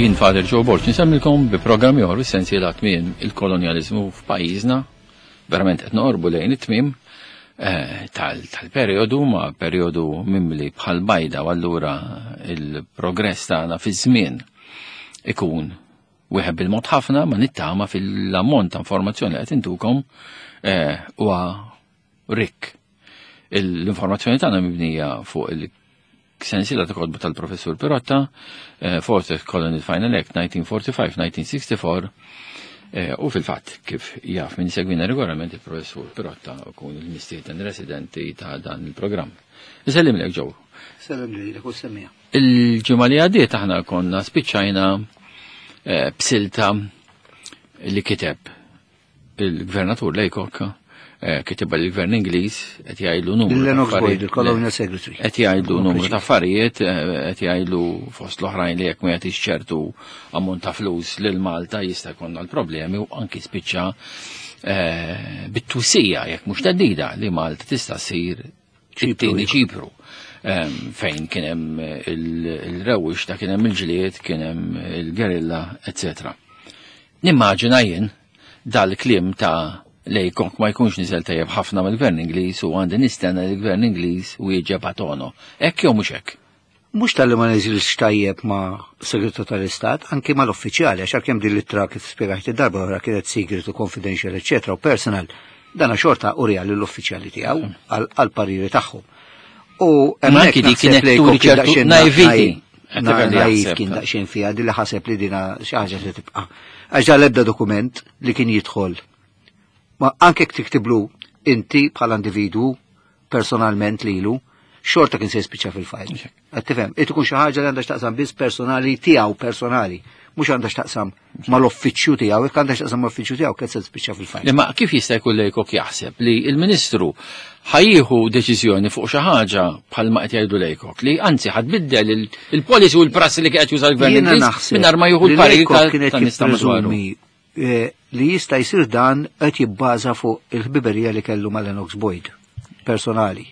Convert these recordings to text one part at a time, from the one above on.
Jien Father Joe Borg nsemmilkom bi programm ieħor fis-sensiela tmiem il-kolonjaliżmu f'pajjiżna. Verament qed noqorbu lejn it-tmiem eh, tal-perjodu ma' perjodu mimli bħal bajda u allura il-progress tagħna fiż-żmien ikun wieħed bil-mod ħafna ma nittama fil-ammont ta' informazzjoni li qed intukom eh, huwa rikk. L-informazzjoni tagħna mibnija fuq il Sensiela ta' kotba tal-Professur Pirotta, eh, Fourth Colony Final Act 1945-1964, eh, u fil-fatt kif jaf minn segwina regolarment il-Professur Pirotta kun il-mistieden residenti ta' dan il-programm. Nsellim lek ġew. Sellem lilek u semmija. Il-ġimgħa li għaddiet aħna konna spiċċajna eh, b'silta li kiteb il-gvernatur Laycock eh, kitibha lill-gvern Ingliż qed jgħidlu numru. Lennox Boyd, il-Colonial Secretary. Qed jgħidlu numru ta' affarijiet, eh, qed jgħidlu fost l-oħrajn li jekk ma jagħtix ċertu ammont ta' flus lil Malta jista' jkollna l-problemi u anki spiċċa eh, bit-twissija jekk mhux teddida li Malta tista' ssir it-tieni Ċipru fejn kien hemm il-rewwix ta' kien hemm il-ġlied, kien hemm il-gerilla, etc. Nimmaġina jien dal-kliem ta' Laycock ma jkunx niżel tajjeb ħafna mill-Gvern Ingliż u għandi nistenna li l-Gvern Ingliż wieġeb a tono. Hekk jew mhux hekk? Mhux talli ma niżilx tajjeb ma' Segretarju tal-Istat, anki mal-uffiċjali, għax għalkemm din l-ittra kif spjegajt id-darba oħra kienet secret u confidential, eċċetera, u personal, dana xorta uriha lill-uffiċjali tiegħu għall-pariri tagħhom. U Imma anki hemmhekk dik naħseb kienet li turi kien ċertu daqsxejn naiviti. Qed Na, tifhem li naiv jaħseb. kien daqsxejn fiha din li ħaseb li dina xi ħaġa se tibqa'. Għax dan l-ebda dokument li kien jidħol. Ma anke jekk tiktiblu inti bħala individwu personalment lilu, xorta kien se jispiċċa fil-fajl. Qed tifhem, irid ikun xi ħaġa li għandha x'taqsam biss personali tiegħu personali, mhux għandha x'taqsam mal-uffiċċju tiegħu, jekk għandha x'taqsam mal-uffiċċju tiegħu kien se tispiċċa fil-fajl. Imma kif jista' jkun Laycock jaħseb li l-Ministru ħa jieħu deċiżjoni fuq xi ħaġa bħalma qed jgħidu Laycock li anzi ħa tbiddel il-policy u l-prassi li qed juża l-Gvern Jiena Ingliż naħseb mingħajr ma jieħu li l-parir Laycock kienet tan-nies ta' madwaru. jippreżumi li jista' jsir dan qed jibbaża fuq il-ħbiberija li kellu ma' Lennox Boyd personali.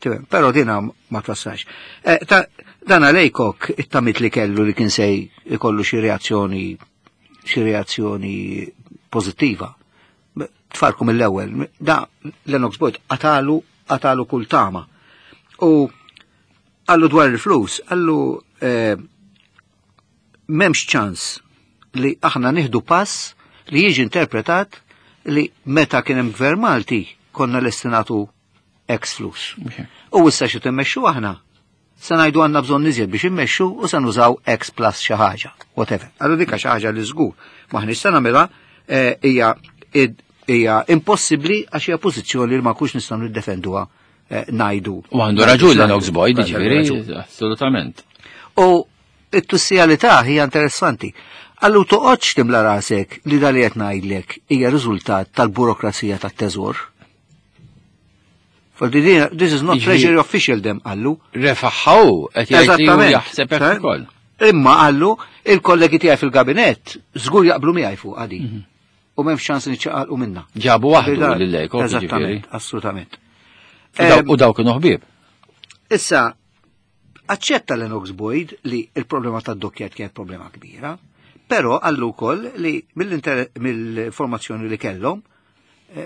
Tifhem, però dina ma twassalx. Eh, Dan Laycock it-tamit li kellu li kien se jkollu xi reazzjoni pożittiva. Tfarku mill-ewwel, da Lennox Boyd qatalu kull tama. U qallu dwar il-flus, qallu m'hemmx ċans li aħna nieħdu pass li jiġi interpretat li meta kien hemm gvern Malti konna lesti nagħtu X flus. U issa xi timmexxu aħna se ngħidu għandna bżonn iżjed biex immexxu u se nużaw X plus xi ħaġa, whatever. Allura dik xi ħaġa li żgur maħniex se nagħmilha hija impossibbli għax hija pożizzjoni li ma kux nistgħu niddefenduha ngħidu. U għandu raġun Lennox Boyd, Għandu ġifieri, raġun. assolutament. U it-tussijalità hija interessanti. Qallu toqgħodx timla rasek li dal qed ngħidlek hija riżultat tal-burokrazija tat-teżor. For this is not treasury official dem qallu. Refaħħaw, qed jgħid li hu Eżattament. jaħseb hekk ukoll. Imma qallu il-kollegi tiegħi fil-gabinett żgur jaqblu miegħi fuq għadi. U m'hemmx ċans niċċaqalqu minna. Ġabu waħdu lil Laycock, ġifieri. Eżattament, assolutament. U daw kienu ħbieb. Issa, aċċetta Lennox Boyd li il-problema tad-dockyard kienet problema kbira, però qallu wkoll li mill-informazzjoni li kellhom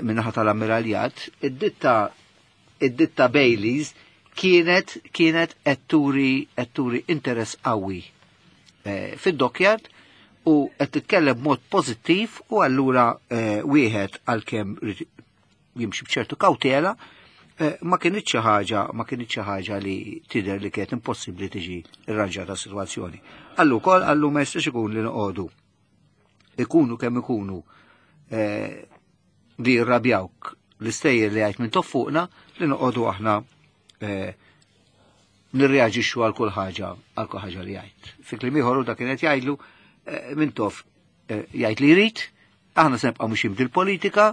min-naħa tal-ammiraljat, id-ditta Baileys kienet qed turi interess qawwi fid-dockyard u qed titkellem b'mod pożittiv u allura wieħed għalkemm jimxi b'ċertu kawtela ma kienitx xi ħaġa, ma kienitx xi ħaġa li tidher li kienet impossibbli tiġi irranġata s-sitwazzjoni. Qallu wkoll qallu ma jistax ikun li noqogħdu ikunu kemm ikunu li jirrabjawk l-istejjer li għajt minn toffuqna li noqogħdu aħna nirreaġixxu għal kull ħaġa, għal kull ħaġa li jgħid. Fi kliem ieħor hu dak kien qed jgħidlu minn toff jgħid li jrid, aħna se nibqgħu mixjin bil-politika,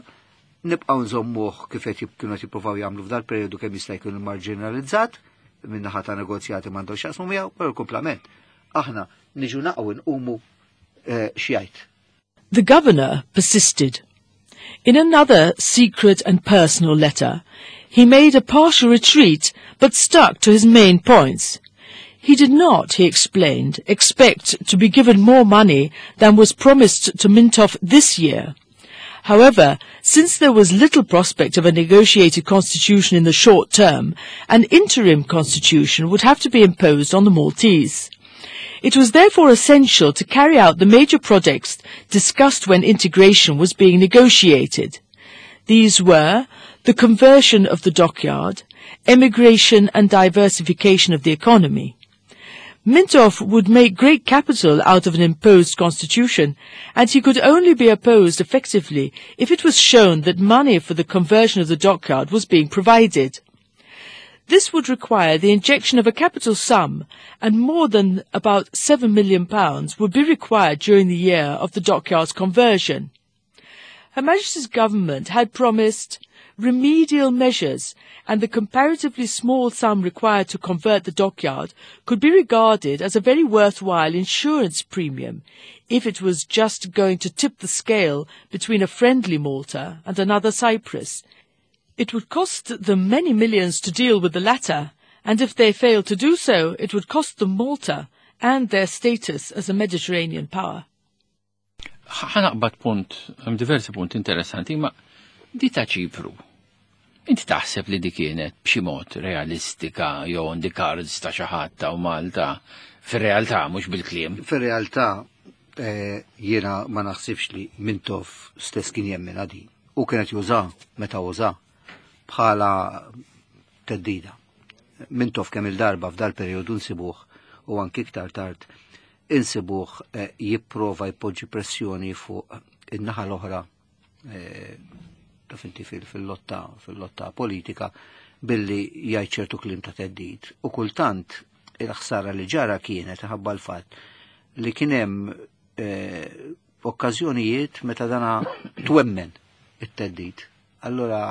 nibqgħu nżommuh kif qed kienu qed jippruvaw jagħmlu f'dal perjodu kemm jista' jkun marginalizzat minn naħa ta' negozjati m'għandhom x'jaqsmu miegħu, però l-kumplament. Aħna niġu naqgħu nqumu x'jgħid. The governor persisted. In another secret and personal letter, he made a partial retreat but stuck to his main points. He did not, he explained, expect to be given more money than was promised to Mintoff this year. However, since there was little prospect of a negotiated constitution in the short term, an interim constitution would have to be imposed on the Maltese. It was therefore essential to carry out the major projects discussed when integration was being negotiated. These were the conversion of the dockyard, emigration and diversification of the economy. Mintoff would make great capital out of an imposed constitution, and he could only be opposed effectively if it was shown that money for the conversion of the dockyard was being provided. This would require the injection of a capital sum, and more than about £7 million would be required during the year of the dockyard's conversion. Her Majesty's government had promised remedial measures, and the comparatively small sum required to convert the dockyard could be regarded as a very worthwhile insurance premium if it was just going to tip the scale between a friendly Malta and another Cyprus. It would cost them many millions to deal with the latter, and if they failed to do so, it would cost them Malta and their status as a Mediterranean power. Ħa naqbad punt, hemm diversi punti interessanti, ma di ta' Ċipru. Inti taħseb li di kienet b'xi mod realistika jew on the cards ta' xi ħadd ta' Malta fir-realtà, mhux bil-kliem? Fir-realtà jiena ma naħsibx li Mintoff stess kien jemmen di. U kienet juża meta uża bħala theddida. Mintoff kemm il-darba f'dal periodu nsibuh u anki iktar tard insibuh jipprova jpoġġi pressjoni fuq in-naħa l-oħra, taf inti, fil-lotta politika billi jgħid ċertu kliem ta' theddid. U kultant il-ħsara li ġara kienet ħabba l-fatt li kien hemm okkażjonijiet meta dana twemmen it-theddid. Allora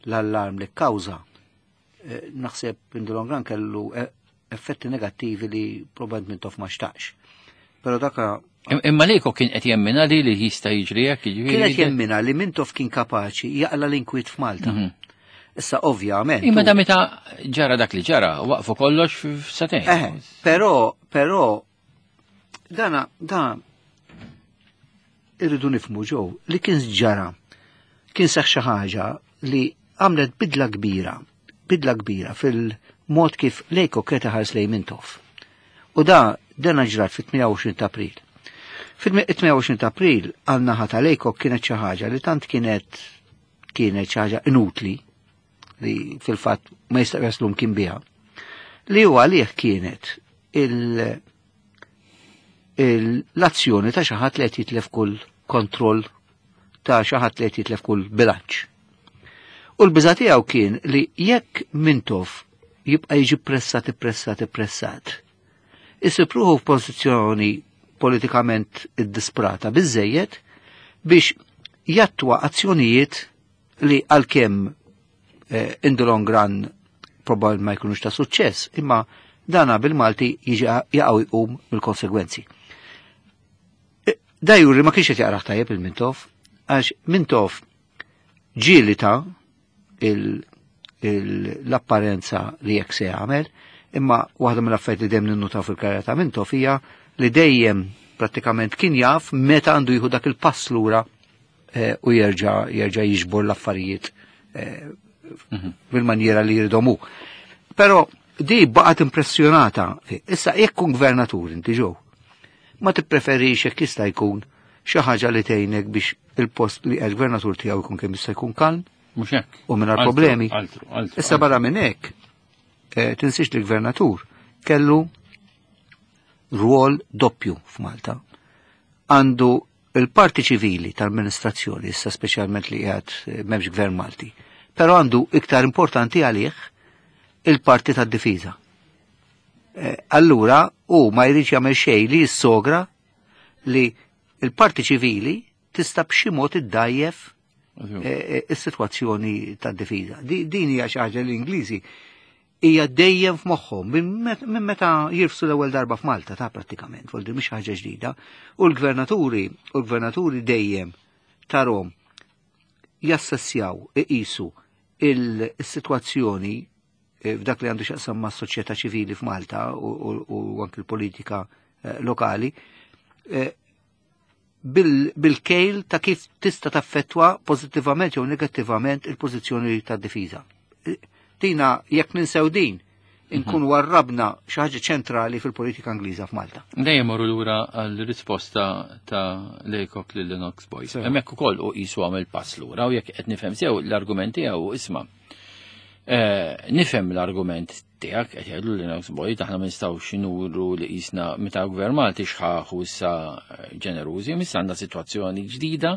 l-allarm li kkawża, naħseb in the long run kellu effetti negattivi li probabbilment Mintoff ma xtaqx. Però daka Imma Lejko kien qed jemmina li jista' jiġri hekk, jiġifieri? Kienet jemmina li Mintoff kien kapaċi jaqla l-inkwiet f'Malta. Issa ovvjament. Imma da meta ġara dak li ġara, waqfu kollox f'satejn. Però dana da irridu nifhmu ġew li kien ġara, kien seħ xi ħaġa li għamlet bidla kbira, bidla kbira fil-mod kif Lejko kien ħares lejn Mintoff. U da dana ġrat fit-28 ta' April. Fit-28 ta' April għal-naħa ta' Lejko kienet xi ħaġa li tant kienet xi ħaġa inutli li fil-fatt ma jista' jaslum kien biha. Li huwa għalih kienet l-azzjoni ta' xi ħadd li qed jitlef kull kontroll, ta' xi ħadd li qed jitlef kull bilanċ. U l-biża' tiegħu kien li jekk Mintoff jibqa' jiġi pressat, pressat, pressat, isib ruħu f'pożizzjoni politikament iddisprata biżejjed biex jattwa azzjonijiet li għalkemm in the long run probabl ma jkunux ta' suċċess, imma dana bil-Malti jiġi jaqgħu jqum mill-konsegwenzi. Da juri ma kienx qed jaqraħ tajjeb il-Mintoff, għax Mintoff ġieli ta l-apparenza li jekk se jagħmel, imma waħda mill-affarijiet li dejjem ninnutaw fil-karriera ta' Mintoff hija li dejjem prattikament kien jaf meta għandu jieħu dak il-pass lura u jerġa' jiġbor l-affarijiet bil-manjera li jridhom hu. Però di baqgħet impressjonata. Issa jekk kun gvernatur inti ġew, ma tippreferix jekk jista' jkun xi ħaġa li tgħinek biex il-post li qed gvernatur tiegħu jkun kemm jista' jkun kalm Mhux hekk. u mingħajr Altru, problemi? Altru, altru, Issa barra minn hekk, tinsiex li gvernatur kellu rwol doppju f'Malta. Għandu il-parti ċivili tal-amministrazzjoni, issa speċjalment li qiegħed m'hemmx gvern Malti, però għandu iktar importanti għalih il-parti tad-difiża. Allura u ma jridx jagħmel xejn li jissogra li il-parti ċivili tista' b'xi mod iddajjef is-sitwazzjoni tad-difiża. Din hija xi ħaġa li l-Ingliżi hija dejjem f'moħħhom minn meta jirfsu l-ewwel darba f'Malta ta' prattikament, vuol dire mhix ħaġa ġdida. U l-gvernaturi dejjem tarhom jassessjaw, iqisu il-sitwazzjoni. f'dak li għandu x'jaqsam ma' soċjetà ċivili f'Malta u anki l-politika lokali bil-kejl ta' kif tista' taffettwa pożittivament jew negattivament il-pożizzjoni tad-difiża. Tina jekk ninsew din, inkunu warrabna xi ħaġa ċentrali fil-politika Ingliża f'Malta. Dejjem morru lura għall-risposta ta' Laycock lil Lennox Boyd. Hemmhekk ukoll u qisu għamel pass lura u jekk qed nifhem sew l-argument tiegħu isma'. Nifhem l-argument tiegħek qed jgħidu Lennox Boyd aħna ma nistgħux nuru li qisna meta gvern Malti xħaħ u issa ġenerużi, issa għandna sitwazzjoni ġdida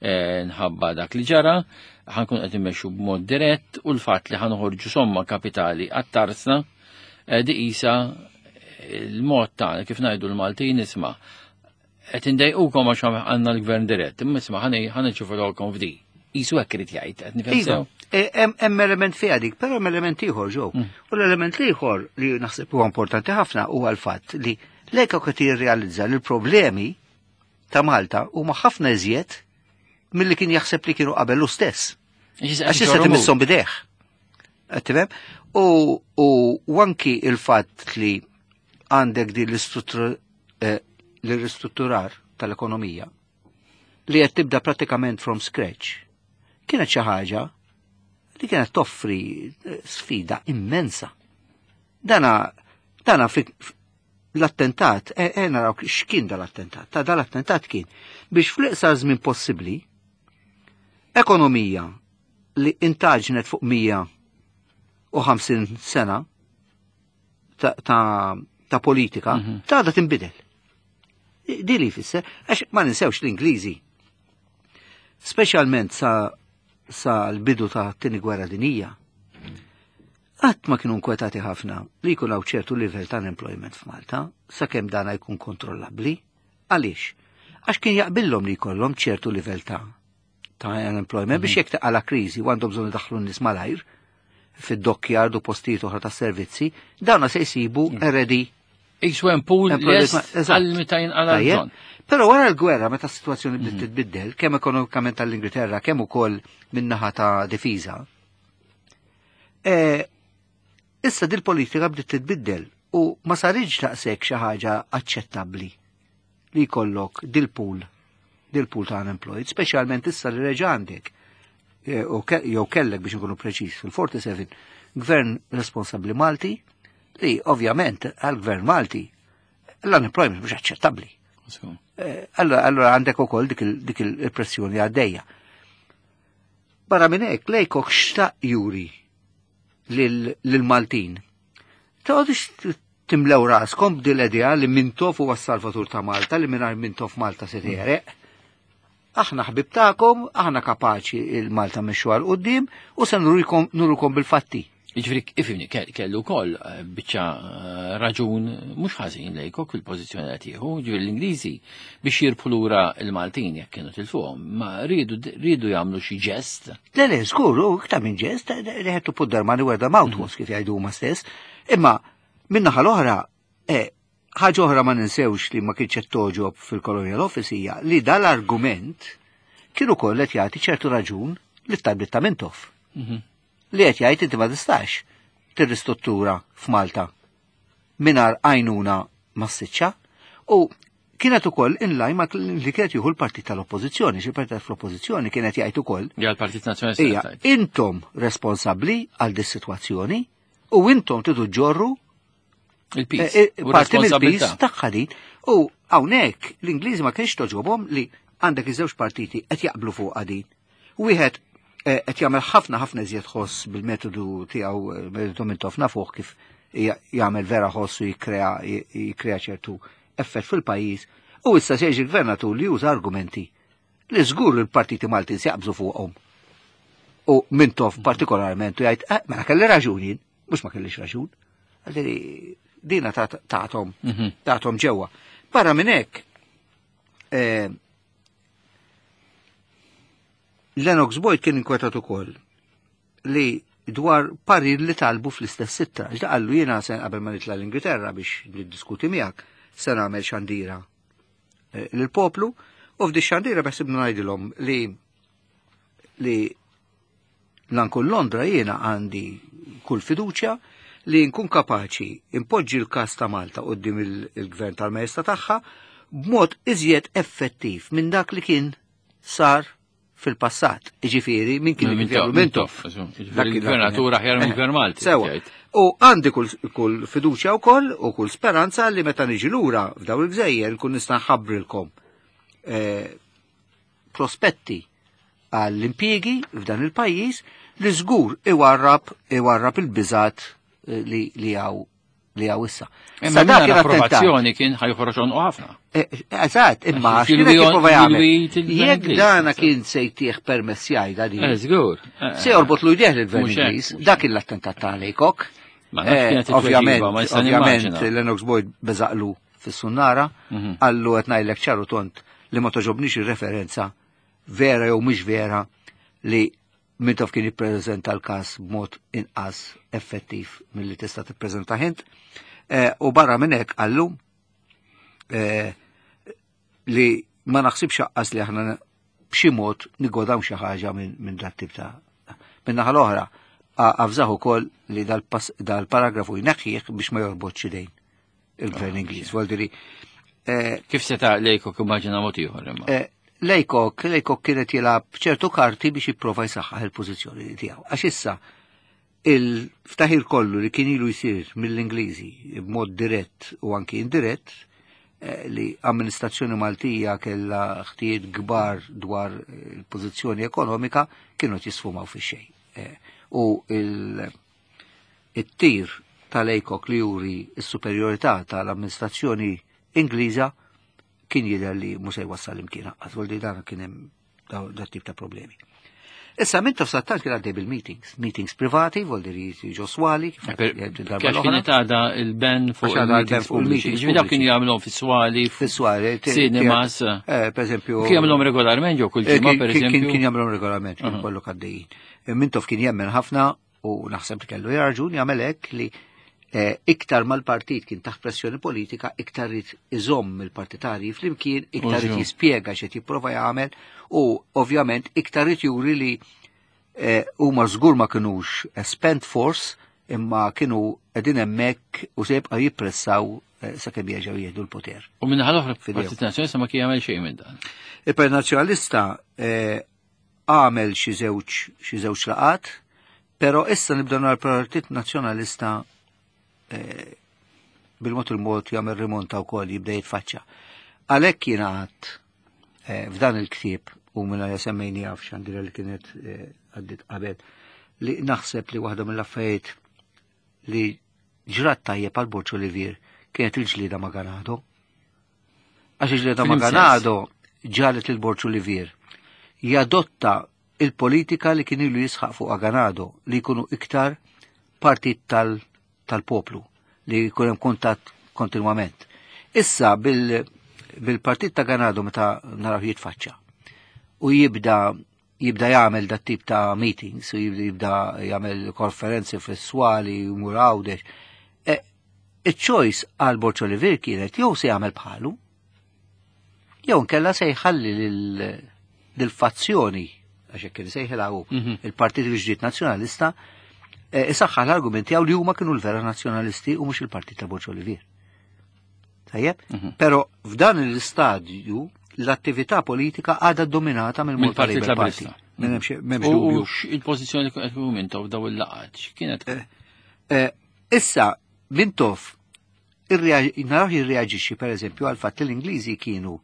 nħabba dak li ġara, ħankun qed immexxu b'mod dirett u l-fatt li ħanoħorġu somma kapitali għat-tarsna di qisha il-mod tagħna kif ngħidu l-Maltin isma' qed indejqukom għax għandna l-gvern dirett, imma isma' ħa f'di. Qisu hekk irid jgħid, qed nifhem Iva, sew. Hemm element fiha dik, però hemm element ieħor ġew. U l-element ieħor li naħseb huwa importanti ħafna huwa l-fatt li Laycock qed jirrealizza li l-problemi ta' Malta huma ħafna iżjed milli kien jaħseb li kienu qabel hu stess. Għax issa timisshom b'idejh. Qed tifhem? U anki il-fatt li għandek din l-ristrutturar tal-ekonomija li qed tibda pratikament from scratch kienet xi ħaġa li kienet toffri sfida immensa. Dana fi l-attentat, naraw x'kien dal-attentat. Ta' dal-attentat kien biex fl-iqsar żmien possibbli ekonomija li intaġnet fuq 150 sena ta' politika, ta' da tinbidel. Di li jfisser, għax ma ninsewx l-Ingliżi. Speċjalment sa l-bidu ta' tieni gwerra dinija, qatt ma kienu nkwetati ħafna li jkun hawn ċertu livell ta' unemployment f'Malta, sakemm dana jkun kontrollabbli. Għaliex? Għax kien jaqbillhom li jkollhom ċertu livell ta' unemployment biex jekk taqala kriżi u għandhom bżonn idaħħlu n-nies malajr fid-dockyard u postijiet oħra ta' servizzi, dawna se jsibu ready. Qisu hemm pool Employment lest eżatt. għal meta jinqala Tajjeb. bżonn. Però wara l-gwerra meta s-sitwazzjoni bdiet titbiddel, kemm ekonomikament tal-Ingilterra, kemm ukoll min-naħa ta' difiża. Issa dil-politika bdiet titbiddel u ma saritx daqshekk xi ħaġa aċċettabbli li jkollok dil-pool ta' unemployed, speċjalment issa li reġa' għandek jew kellek biex nkunu preċiż fil-47 gvern responsabbli Malti li ovvjament għal-gvern Malti l-unemployment mhux aċċettabbli. Allora għandek ukoll dik il-pressjoni għaddejja. Barra minn hekk Laycock xtaq juri lil-Maltin. Toqgħodux timlew raskom b'dil idea li Mintoff huwa s-salvatur ta' Malta, li mingħajr Mintoff Malta se tegħreq. Aħna ħbib tagħkom, aħna kapaċi il-Malta mmexxu 'l quddiem u se nurukom bil-fatti. Jiġifieri, ifhimni, kellu wkoll biċċa raġun mhux ħażin Laycock fil-pożizzjoni qed jieħu, jiġifieri l-Ingliżi biex jirbħu lura l-Maltin jekk kienu tilfuhom, ma riedu jagħmlu xi ġest. Le, le, żgur, u iktar minn ġest, they had to put their money where the mouth was, kif jgħidu huma stess. Imma min-naħa l-oħra, ħaġa oħra ma ninsewx li ma kienx qed toġob fil-Colonial Office hija li dal-argument kienu koll qed jagħti ċertu raġun li talbiet ta' Mintoff. Li qed jgħid inti ma tistax tirristruttura f'Malta mingħajr għajnuna massiċċa u kienet ukoll in line ma li kienet jieħu l-partit tal-Oppożizzjoni, xi partit tal-Oppożizzjoni kienet jgħid ukoll. Ja, l-Partit Nazzjonalista Ija, jgħid. intom responsabbli għal dis-sitwazzjoni u intom tridu ġorru Il-piż. U parti mill-piż responsabilità. tagħha din. U hawnhekk l-Ingliżi ma kienx toġobhom li għandek iż-żewġ partiti qed jaqblu fuq din. Wieħed qed jagħmel ħafna ħafna iżjed ħoss bil-metodu tiegħu, metodu Mintoff nafuh kif jagħmel vera ħoss u jikkrea ċertu effett fil-pajjiż. U issa se jiġi gvernatur li juża argumenti li żgur il-partiti Maltin se jaqbżu fuqhom. U Mintoff partikolarment u jgħid, ma kelli raġun jien, mhux ma kellix raġun. Għalli dina tagħtom ġewwa. Barra minn hekk, Lennox Boyd kien inkwetat ukoll li dwar parir li talbu fl-istess ittra. Ġda qallu jiena se qabel ma nitla' l-Ingilterra biex niddiskuti miegħek se nagħmel xandira lill-poplu u f'di xandira beħsibna ngħidilhom li La nkun Londra jiena għandi kull fiduċja li nkun kapaċi impoġġi l-każ ta' Malta quddiem il-gvern tal-Majesta tagħha b'mod iżjed effettiv minn dak li kien sar fil-passat. Iġifieri minn kien Mintoff. Il-gvernatur aħjar minn gvern Malti. Sewa. U għandi kull fiduċja wkoll u kull speranza li meta niġi lura f'daw il-gżejjer nkun nista' nħabbrilkom prospetti għall-impjiegi f'dan il-pajjiż li żgur iwarrab il-biżat li hawn li għaw issa. Imma dak l-approvazzjoni kien ħajħroġ onqu ħafna. Eżatt, imma x'kien jipprova jagħmel. Jekk dana kien se jtieħ permess jgħidha din. Żgur. Se jorbot lu jdeh lill-Gvern Ingliż, dak kien l-attentat ta' Laycock. Ovvjament, Lennox Boyd beżaqlu fis-sunnara, qallu qed ngħidlek ċaru tont li ma toġobnix ir-referenza vera jew mhix vera li Mintoff kien jippreżenta l-każ b'mod inqas effettiv milli tista' tippreżenta int. U barra minn hekk qallu li ma naħsibx aqqas li aħna b'xi mod nigodaw xi ħaġa minn dat tip ta' Minn naħa l-oħra, avżah ukoll li dal-paragrafu jneħħih biex ma jorbotx idejn il-gvern Ingliż. Vuol Kif seta' Laycock immaġina mod ieħor imma? Laycock kienet jilgħab ċertu karti biex jipprova jsaħħaħ il-pożizzjoni tiegħu. Għax issa il-ftaħir kollu li kien ilu jsir mill-Ingliżi b'mod dirett u anki indirett li amministrazzjoni Maltija kellha ħtijiet kbar dwar il-pożizzjoni ekonomika kienu jisfumaw fix-xejn. U il-tir tal-Laycock li juri s-superjorità tal-amministrazzjoni Ingliża kien jidher li mhux se jwassal imkien aqqas, vuol dan kien hemm dat tip ta' problemi. Issa Mintoff sattant kien għaddej bil-meetings, meetings privati, vuol dire ġo swali, Għax kienet għadha il-ban fuq il-meetings pubbliċi. Ġifieri dawk kienu jagħmluhom fis-swali, fis-swali, cinemas. Per eżempju. Kien jagħmluhom regolarment jew kull ġimgħa per eżempju. Kien jagħmluhom regolarment, kien kollu għaddejjin. Mintoff kien jemmen ħafna u naħseb li kellu raġun jagħmel hekk li iktar mal-partit kien taħt pressjoni politika, iktar irid iżomm il-partitarji flimkien, iktar irid jispjega x'qed jipprova jagħmel u ovvjament iktar irid juri li huma żgur ma kinux spent force imma kienu qegħdin hemmhekk u se jibqgħu jippressaw sakemm jerġgħu jieħdu l-poter. U minn l-oħra Partit Nazzjonalista ma kien jagħmel xejn minn dan. Il-Partit Nazzjonalista għamel xi żewġ laqat, però issa nibda nara l-Partit Nazzjonalista bil-mod il-mod jagħmel rimonta wkoll jibda jitfaċċa. Għalhekk jiena għadt f'dan il-ktieb u minna semmejni għaf xandira li kienet għaddit qabel li naħseb li waħda mill-affarijiet li ġrat tajjeb għal Borg Olivier kienet il-ġlieda ma' Ganado. Għax il-ġlieda ma' Ganado ġalet lil Borg Olivier jadotta il-politika li kien ilu jisħaq fuq Ganado li jkunu iktar partit tal-poplu li jkun hemm kuntatt kontinwament. Issa bil-partit ta' Ganado meta naraw jitfaċċa u jibda jagħmel dat tip ta' meetings u jibda jagħmel konferenzi fis-swali u jmur Għawdex. Il-choice għal Borg Olivier kienet jew se jagħmel bħalu jew nkella se jħalli lil-fazzjoni għax hekk kien sejħilha hu il-Partit il-Ġdid Nazzjonalista isaħħaħ l-argumenti għaw li huma kienu l-vera nazzjonalisti u mhux il-Partit ta' Borg Olivier. Tajjeb? Però f'dan l-istadju l-attività politika għadha dominata mill-Partit Laburista. M'hemmx dubju. Il-pożizzjoni qed ikun Mintoff daw il-laqgħat x'kienet? Issa Mintoff naraw jirreaġixxi pereżempju għal fatt li l-Ingliżi kienu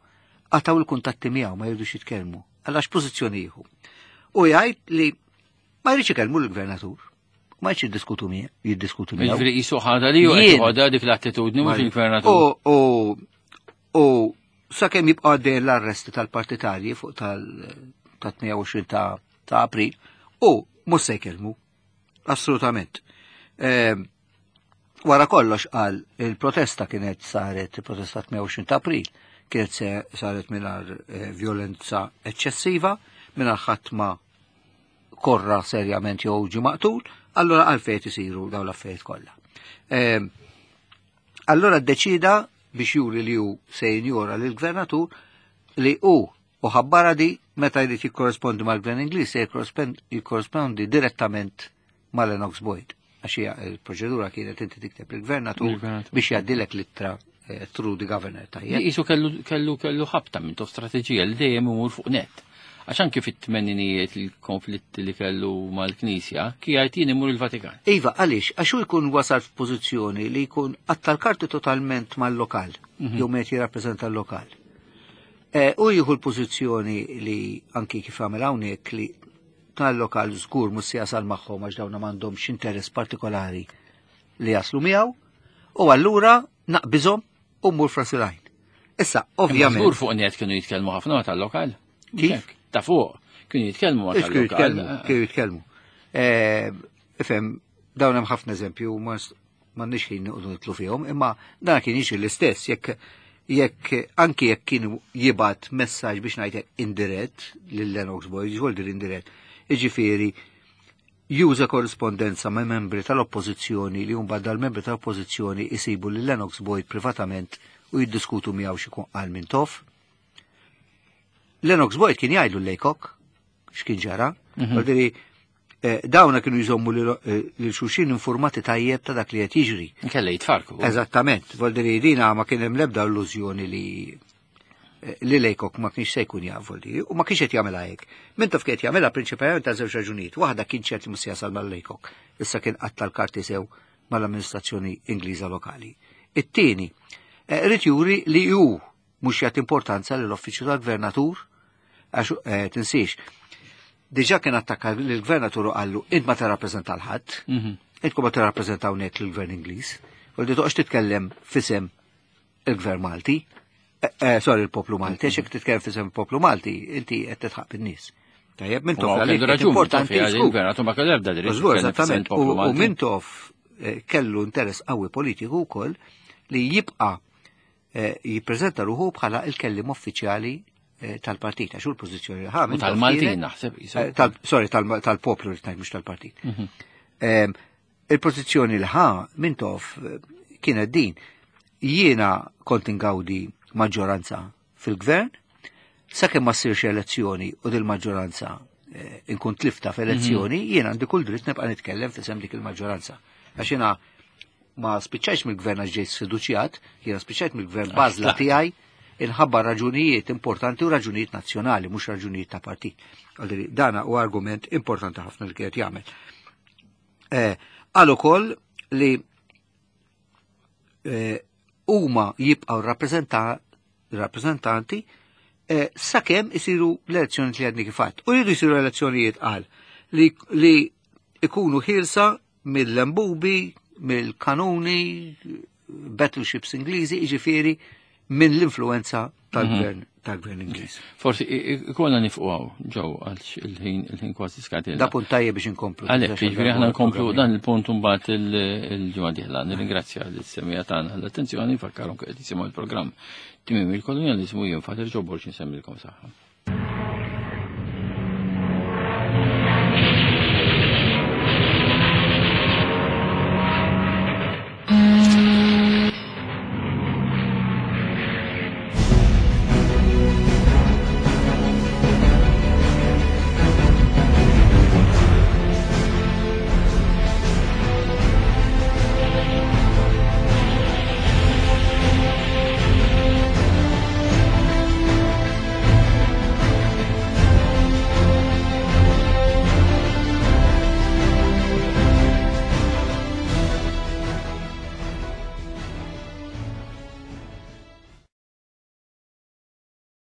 qataw il-kuntatti miegħu ma jridux jitkellmu. Għalax pożizzjoni jieħu. U jgħid li ma jridx ikellmu l-gvernatur. Ma jridx jiddiskutu miegħu, jiddiskutu miegħu. Jiġifieri qisu ħadha li hu qed dik l-attitudni mhux il-gvernatur. U sakemm jibqa' għaddej l-arresti tal-partitarji fuq tal-28 ta' April u mhux se jkellmu. Assolutament. Wara kollox qal il-protesta kienet saret, il-protesta 28 ta' April, kienet saret mingħajr violenza eċċessiva, mingħajr ħadd ma korra serjament jew ġie maqtul, allora għalfejn isiru dawn l-affarijiet kollha. Allora ddeċida biex juri li hu se jinjora lill-gvernatur li hu u ħabbara di Meta jrid jikkorrespondi mal-Gvern Ingliż se jikkorrespondi direttament ma' Lennox Boyd. Għax hija il-proċedura kienet inti tikteb il-gvernatur biex jgħaddilek l-ittra through the governor, tajjeb. Jisu kellu ħabta minn tof strateġija li dejjem imur fuq net. Għax anki fit-tmeninijiet il-konflitti li kellu mal-Knisja, kien jien imur il-Vatikan. Iva, għaliex, għax hu jkun wasal f'pożizzjoni li jkun qatta' l-karti totalment mal-lokal, jew meta jirrappreżenta l-lokal. U jieħu l-pożizzjoni li anki kif għamel hawnhekk li tal-lokal żgur mhux se jasal magħhom għax dawna m'għandhomx interess partikolari li jaslu miegħu, u allura naqbiżhom u mmur frasilajn. Issa, ovvjament. Żgur fuq net kienu jitkellmu ħafna tal-lokal. Kif? Ta' fuq, kienu jitkellmu ma' tal-lokal. Kienu jitkellmu. Ifhem, dawn hemm ħafna eżempju, m'għandniex ħin noqogħdu nitlu fihom, imma dan kien jiġri l-istess, jekk anki jekk kienu jibgħat messaġġ biex ngħidlek indirett lil Lennox Boyd, ġol dir indirett, jiġifieri juża korrispondenza ma' membri tal-oppożizzjoni li mbagħad dal-membri tal-oppożizzjoni isibu lil Lennox Boyd privatament u jiddiskutu miegħu xi jkun qal Mintoff. Lennox Boyd kien jgħidlu Laycock x'kien ġara. Vuol dawna kienu jżommu lil xulxin informati tajjeb ta' dak li qed jiġri. Kella jitfarku. Eżattament, vuol dire dina ma kien hemm l-ebda illużjoni li Laycock ma kienx se jkun jaf, vuol dire, u ma kienx qed jagħmilha hekk. Mintoff kien qed jagħmilha prinċipalment ta' żewġ raġunijiet. Waħda kien ċert li mhux se jasal mal-Laycock, issa kien qatta' l-karti sew mal-amministrazzjoni Ingliża lokali. It-tieni, irid juri li hu mhux jagħti importanza lill-uffiċċju tal-gvernatur, għax tinsiex, diġà kien attakka lill-gvernatur u qallu int ma tirrappreżenta l-ħadd, intkom ma tirrappreżentaw hawnhekk lill-gvern Ingliż, u li toqgħodx titkellem fisem il-gvern Malti, sorry, il-poplu Malti, għax jekk titkellem fisem il-poplu Malti, inti qed tidħaq bin-nies. Tajjeb, Mintoff U għalih kellu kien raġun, importanti, Mintoff, żgur. il-gvernatur ma kellu ebda dritt Żgur, jitkellem fisem eżattament. il-poplu U Malti. Mintoff kellu interess qawwi politiku wkoll li jibqa' jippreżenta ruħu bħala il-kellim uffiċjali tal-partit, għax hu l-pożizzjoni li ħa U Mintoff tal-Maltin, kienet, naħseb, jisu. sorry, tal-poplu li tgħid, mhux tal-partit. Il-pożizzjoni li ħa Mintoff kienet din. Jiena kont ingawdi maġġoranza fil-gvern, sakemm ma ssirx elezzjoni u dil-maġġoranza inkun tlifta f'elezzjoni, jiena għandi kull dritt nibqa' nitkellem f'isem dik il-maġġoranza. Għax jiena ma spiċċajx mill-gvern għax ġejt sfiduċjat, jiena spiċċajt mill-gvern Għax bażla tlaqt. tiegħi inħabba raġunijiet importanti u raġunijiet nazzjonali, mhux raġunijiet ta' partit. Għalli dana u argument importanti ħafna li kienet jagħmel. Qal ukoll li huma jibqgħu rappreżentanti sakemm isiru l-elezzjonijiet li għadni kif għedt. U jridu jsiru elezzjonijiet qal li ikunu ħielsa mill-lembubi, mill-kanuni, battleships Ingliżi, jiġifieri minn l-influenza tal-gvern Ingliż. Forsi ikollna nifqu hawn, ġew, għalx il-ħin kważi skadilna. Da punt tajjeb biex inkomplu. Għalhekk, Biex jiġifieri aħna nkomplu programmi. dan il-punt mbagħad il-ġimgħa dieħla. Nirringrazzja lis-semija tagħna l-attenzjoni, nfakkarhom qed jisimgħu il-programm Tmiem il-Kolonjaliżmu, jien Father Joe Borg insemmilkom saħħa.